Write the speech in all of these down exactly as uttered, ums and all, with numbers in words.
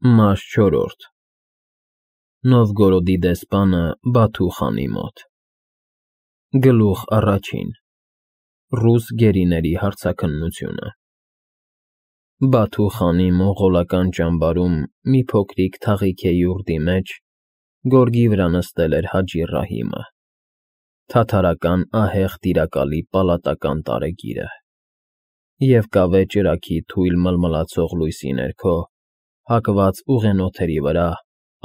Մաս չորրորդ Նովգորոդի դեսպանը Բաթու խանի մոտ Գլուխ առաջին Ռուս գերիների հարցաքննությունը Բաթու խանի մոնղոլական ճամբարում մի փոքրիկ թաղիք յուրտի մեջ գորգի վրա նստել էր Հաջի Ռահիմը, թաթարական ահեղ տիրակալի պալատական տարեգիրը, և կավե ճրագի թույլ մլմլացող լույսի ներքո, հակված ուղենոթերի վրա,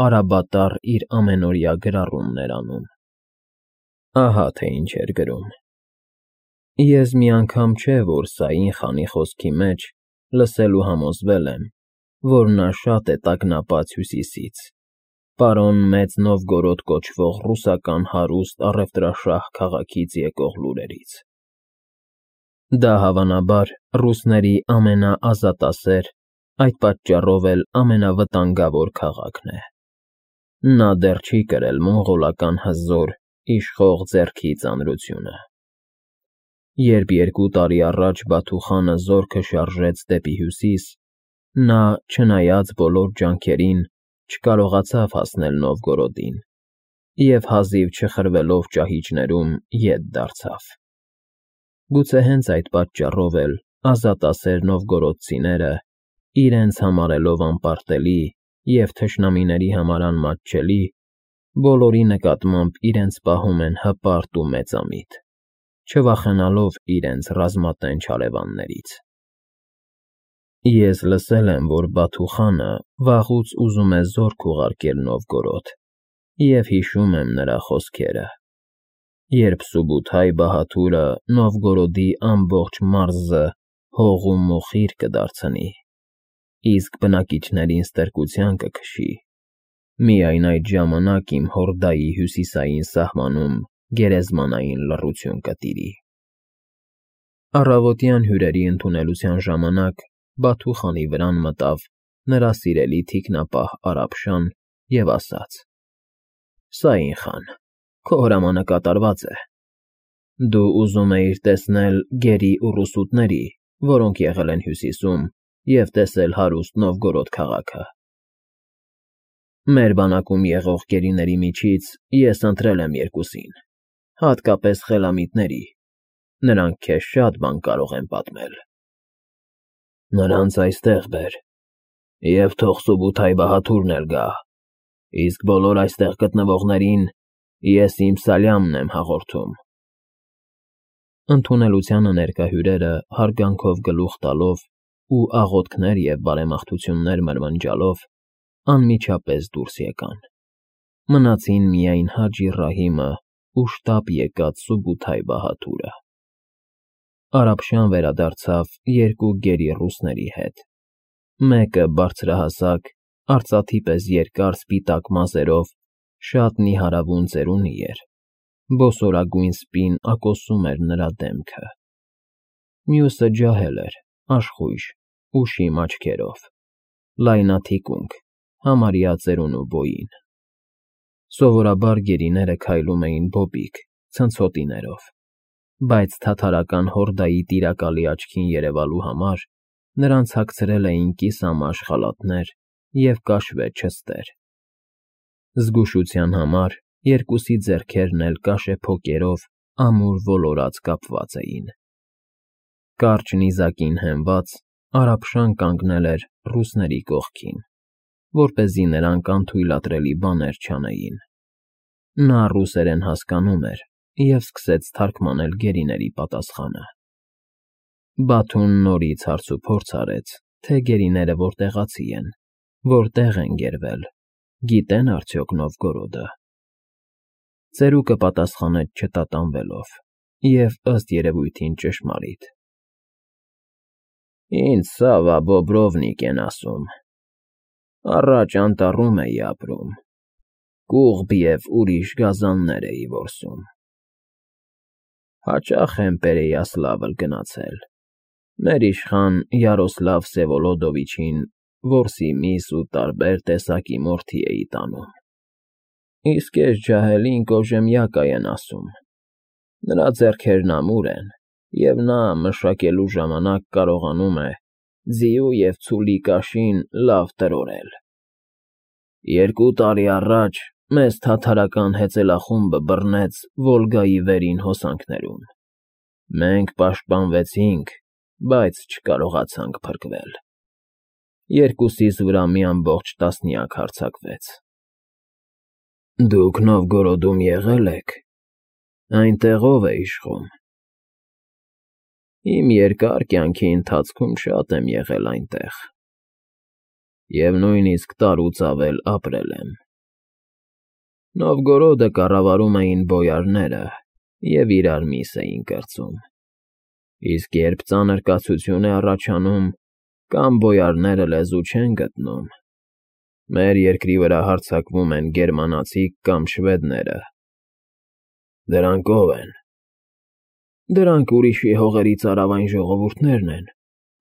արաբատառ իր ամենօրյա գրառումն էր անում. Ահա թե ինչ էր գրում. Ես մի անգամ չէ, որ Սաին խանի խոսքի մեջ լսել ու համոզվել եմ, որ նա շատ է տագնապած Հյուսիսից, պարոն Մեծ Նովգորոդ կոչվող ռուսական հարուստ առևտրաշահ քաղաքից եկող լուրերից. Դա հավանաբար ռուսների ամենաազատասեր, այդ պատճառով էլ ամենավտանգավոր քաղաքն է. Նա դեռ չի կրել մոնղոլական հզոր, իշխող ձեռքի ծանրությունը. Երբ երկու տարի առաջ Բաթու խանը զորքը շարժեց դեպի հյուսիս, նա, չնայած բոլոր ջանքերին, չկարողացավ հասնել Նովգորոդին և հազիվ չխրվելով ճահիճներում ետ դարձավ. Գուցե հենց այդ պատճառով էլ ազատասեր նովգորոդցիները, իրենց համարելով անպարտելի և թշնամիների համար անմատչելի, բոլորի նկատմամբ իրենց պահում են հպարտ ու մեծամիտ, չվախենալով իրենց ռազմատենչ հարևաններից։ Ես լսել եմ, որ Բաթու խանը վաղուց ուզում է զորք ուղարկել Նովգորոդ և հիշում եմ նրա խոսքերը, երբ Սուբութայ բահադուրը Նովգորոդի ամբողջ մարզը հող ու մոխիր կդարձնի, իսկ բնակիչներին ստրկության կքշի, միայն այդ ժամանակ իմ հորդայի հյուսիսային սահմանում գերեզմանային լռություն կտիրի։ Առավոտյան հյուրերի ընդունելության ժամանակ Բաթու խանի վրան մտավ նրա սիրելի թիկնապահ Արաբշան և ասաց. Սաին խան, քո հրամանը կատարված է, դու ուզում էիր տեսնել գերի ու ռուսուտների, որոնք եղել են հյուսիսում և տեսել հարուստ Նովգորոդ քաղաքը։ Մեր բանակում եղող գերիների միջից ես ընտրել եմ երկուսին, հատկապես խելամիտների, նրանք քեզ շատ բան կարող են պատմել։ Նրանց այստեղ բեր, և թող Սուբութայ բահադուրն էլ գա, իսկ բոլոր այստեղ գտնվողներին ես իմ սալյամն եմ հաղորդում։ Ընդունելությանը ներկա հյուրերը հարգանքով գլուխ տալով ու աղոթքներ և բարեմաղթություններ մրմնջալով անմիջապես դուրս եկան, մնացին միայն Հաջի Ռահիմը ու շտապ եկած Սուբութայ բահադուրը։ Արաբշան վերադարձավ երկու գերի ռուսների հետ, մեկը բարձրահասակ, արծաթի պես երկար սպիտակ մազերով, շատ նիհարավուն ծերունի էր, բոսորագույն սպին ակոսում էր նրա դեմքը, մյուսը ջահել էր, աշխույժ, ուշիմ աչքերով, լայնաթիկունք, համարյա ծերունու բոյին։ Սովորաբար գերիները քայլում էին բոբիկ, ցնցոտիներով, բայց թաթարական հորդայի տիրակալի աչքին երևալու համար նրանց հագցրել էին կիսամաշ խալաթներ և կաշվե չստեր։ Զգուշության համար երկուսի ձեռքերն էլ կաշեփոկերով ամուր ոլորած կապված էին։ Կարճ նիզակին հենված, Արաբշան կանգնել էր ռուսների կողքին, որպեսզի նրանք անթույլատրելի բաներ չանեին։ Նա ռուսերեն հասկանում էր և սկսեց թարգմանել գերիների պատասխանը։ Բաթուն նորից հարցուփորձ արեց, թե գերիները որտեղացի են, որտեղ են գերվել, գիտե՞ն արդյոք Նովգորոդը։ Ծերուկը պատասխանեց չտատանվելով և, ըստ երևույթին, ճշմարիտ. Ինձ Սավա Բոբրովնիկ են ասում, առաջ անտառում էի ապրում, կուղբ և ուրիշ գազաններ էի որսում։ Հաճախ եմ Պերեյասլավլ գնացել, մեր իշխան Յարոսլավ Վսևոլոդովիչին որսի միս ու տարբեր տեսակի մորթի էի տանում, իսկ էս ջահելին կոժեմյակա են ասում, նրա ձեռքերն ամուր են, և նա մշակելու ժամանակ կարողանում է ձիու և ցուլի կաշին լավ տրորել։ Երկու տարի առաջ մեզ թաթարական հեծելախումբը բռնեց Վոլգայի վերին հոսանքներում։ Մենք պաշտպանվեցինք, բայց չկարողացանք փրկվել։ Երկուսիս վրա մի ամբողջ տասնյակ հարձակվեց։ Դուք Նովգորոդում եղե՞լ եք։ Այնտեղ ով է իշխում։ Իմ երկար կյանքի ընթացքում շատ եմ եղել այնտեղ, և նույնիսկ տարուց ավել ապրել եմ։ Նովգորոդը կառավարում էին բոյարները և իրար միս էին կրծում, իսկ երբ ծանր կացություն է առաջանում, կամ բոյարները լեզու չեն գտնում, մեր երկրի վրա հարձակվում են գերմանացիք կամ շվեդները։ Դրանք ո՞վ են։ Դրանք ուրիշի հողերի ծարավային ժողովուրդներն են,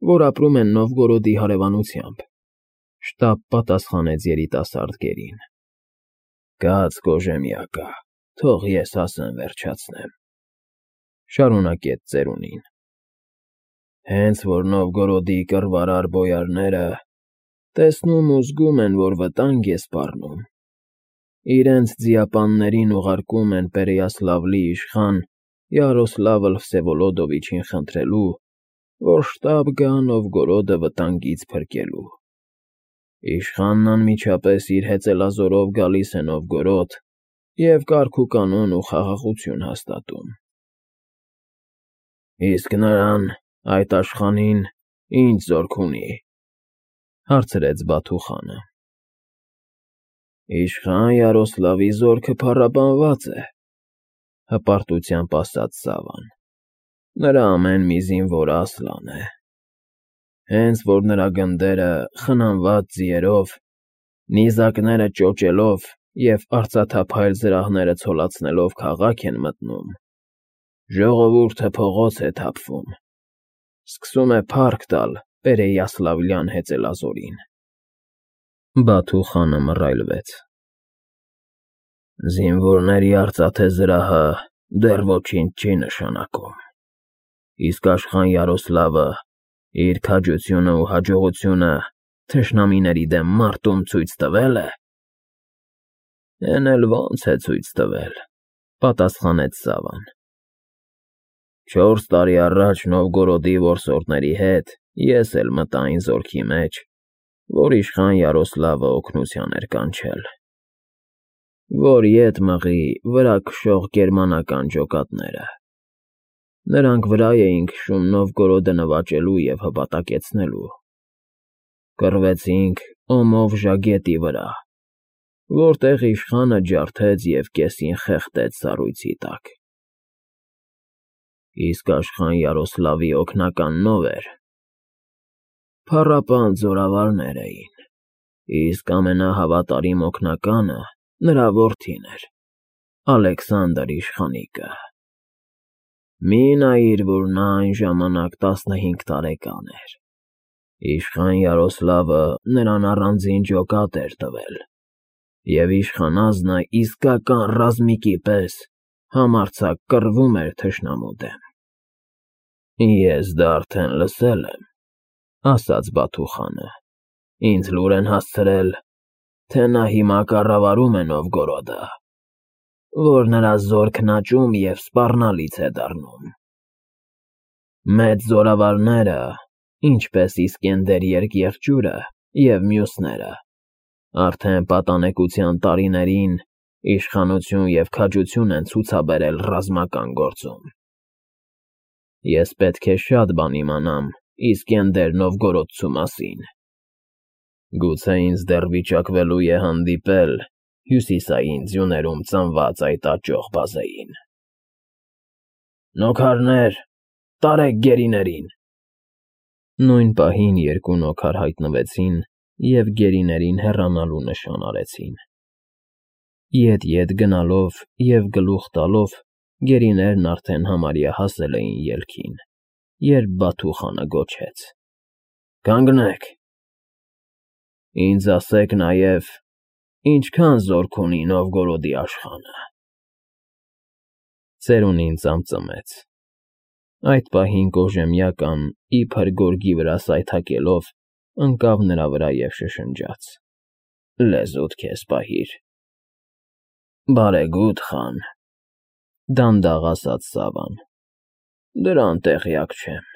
որ ապրում են Նովգորոդի հարևանությամբ,֊ շտապ պատասխանեց երիտասարդ գերին։ Կաց Կոժեմյակա, թող ես ասեմ վերջացնեմ,֊ շարունակեց ծերունին։ Հենց որ Նովգորոդի կռվարար բոյարները տեսնում ու զգում են, որ վտանգ է սպառնում, իրենց ձիապաններին ուղարկում են Պերեյասլավլի իշխան Յարոսլավլ Վսևոլոդովիչին խնդրելու, որ շտապ գա Նովգորոդը վտանգից փրկելու։ Իշխանն անմիջապես իր հեծելազորով գալիս է Նովգորոդ և կարգուկանոն ու խաղաղություն հաստատում։ Իսկ նրան, այդ աշխանին, ի՞նչ զորք ունի,֊ հարցրեց Բաթուխանը։ Իշխան Յարոսլավի զորքը փառաբանված է,֊ հպարտությամբ ասաց Սավան։ Նրա ամեն մի զինվորը Ասլան է։ Հենց որ նրա գնդերը խնամված ձիերով, նիզակները ճոճելով և արծաթափայլ զրահները ցոլացնելով քաղաք են մտնում, ժողովուրդը փողոց է թափվում, սկսում է փառք տալ Պերեյասլավլյան հեծելազորին։ Բաթուխանը մռայլվեց։ Զինվորների արծաթե զրահը դեռ ոչինչ չի նշանակում, իսկ աշխան Յարոսլավը իր քաջությունն ու հաջողությունը թշնամիների դեմ մարտում ցույց տվե՞լ է։ Էն էլ ո՜նց է ցույց տվել,֊ պատասխանեց Սավան։ Չորս տարի առաջ Նովգորոդի որսորդների հետ ես էլ մտա այն զորքի մեջ, որ իշխան Յարոսլավը օգնության էր կանչել, որ ետ մղի վրա քշող գերմանական ջոկատները։ Նրանք վրա էին քշում Նովգորոդը նվաճելու և հպատակեցնելու։ Կռվեցինք Օմովժա գետի վրա, որտեղ իշխանը ջարդեց և կեսին խեղդեց սառույցի տակ։ Իսկ աշխան Յարոսլավի օգնականն ո՞վ էր։ Փառապանծ զորավարներ էին, իսկ ամենահավատարիմ օգնականը նրա որդին էր, Ալեքսանդր իշխանիկը։ Մի նայիր, որ նա այն ժամանակ տասնհինգ տարեկան էր։ Իշխան Յարոսլավը նրան առանձին ջոկատ էր տվել, և իշխանազնը իսկական ռազմիկի պես համարձակ կռվում էր թշնամու դեմ։ Ես դա արդեն լսել եմ,֊ ասաց Բաթուխանը։ Ինձ լուր են հասցրել, թե նա հիմա կառավարում է Նովգորոդը, որ նրա զորքն աճում և սպառնալից է դառնում։ Մեծ զորավարները, ինչպես Իսկենդեր Երկեղջյուրը և մյուսները, արդեն պատանեկության տարիներին իշխանություն և քաջություն են ցուցաբերել ռազմական գործում։ Ես պետք է շատ բան իմանամ Իսկենդեր Նովգորոդցու մասին։ Գուցե ինձ դեռ վիճակվելու է հանդիպել հյուսիսային ձյուներում ծնված այդ աճող բազեին։ Նոքարներ, տարեք գերիներին։ Նույն պահին երկու նոքար հայտնվեցին և գերիներին հեռանալու նշան արեցին։ Ետ֊ետ գնալով և գլուխ տալով գերիներն արդեն համարյա հասել էին ելքին, երբ Բաթուխանը գոչեց. Կանգնեք։ Ինձ ասեք նաև, ինչքան զորք ունի Նովգորոդի աշխանը։ Ծերունին ծամծմեց։ Այդ պահին Կոժեմյական, իբր գորգի վրա սայթաքելով, ընկավ նրա վրա և շշնջաց. լեզուդ քեզ պահիր։ Բարեգութ խան, դանդաղ ասաց Սավան, դրան տեղյակ չեմ։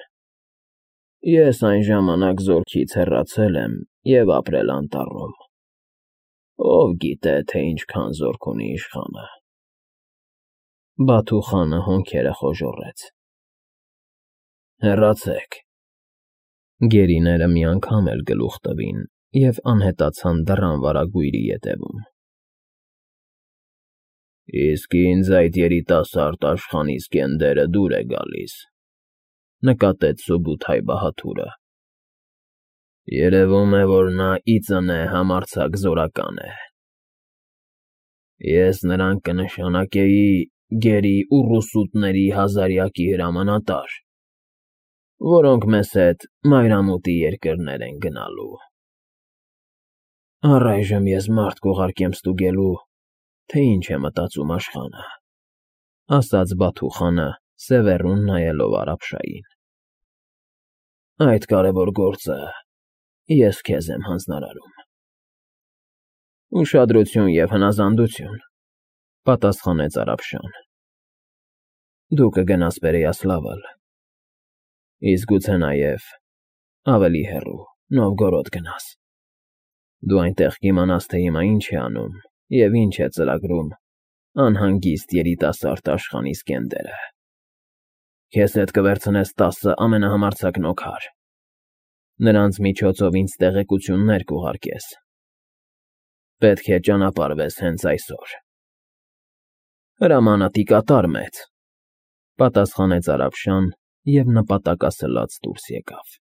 Ես այն ժամանակ զորքից հեռացել եմ և ապրել անտառում, ով գիտե, թե ինչքան զորք ունի իշխանը։ Բաթու խանը հոնքերը խոժոռեց։ Հեռացեք։ Գերիները մի անգամ էլ գլուխ տվին և անհետացան դռան վարագույրի ետևում։ Իսկ ինձ այդ երիտասարդ աշխանի սկենդերը դուր է գալիս, նկատեց Սուբութայ Բահաթուրը։ Երևում է, որ նա ի ծնե համարձակ զորական է։ Ես նրան կնշանակեի գերի ուռուսուտների հազարյակի հրամանատար, որոնք մեզ հետ մայրամուտի երկրներ են գնալու։ Առայժմ ես մարդ կուղարկեմ ստուգելու, թե ինչ է մտածում աշխանը, ասաց Բաթու խանը, սևեռուն նայելով Արաբշային։ Այդ կարևոր գործը ես քեզ եմ հանձնարարում։ Ուշադրություն և հնազանդություն, պատասխանեց Արաբշան։ Դու կգնաս Պերեյասլավլ, իսկ գուցե նաև ավելի հեռու Նովգորոդ գնաս։ Դու այնտեղ կիմանաս, թե հիմա ինչ է անում և ինչ է ծրագրում անհանգիստ երիտասարդ աշխանի սկենդերը։ Քեզ հետ կվերցնես տասը ամենահամարձակ նոքար, նրանց միջոցով ինձ տեղեկություններ կուղարկես։ Պետք է ճանապարհվես հենց այսօր։ Հրամանը տիկատար մեծ, պատասխանեց Արաբշան և նպատակասլաց դուրս եկավ։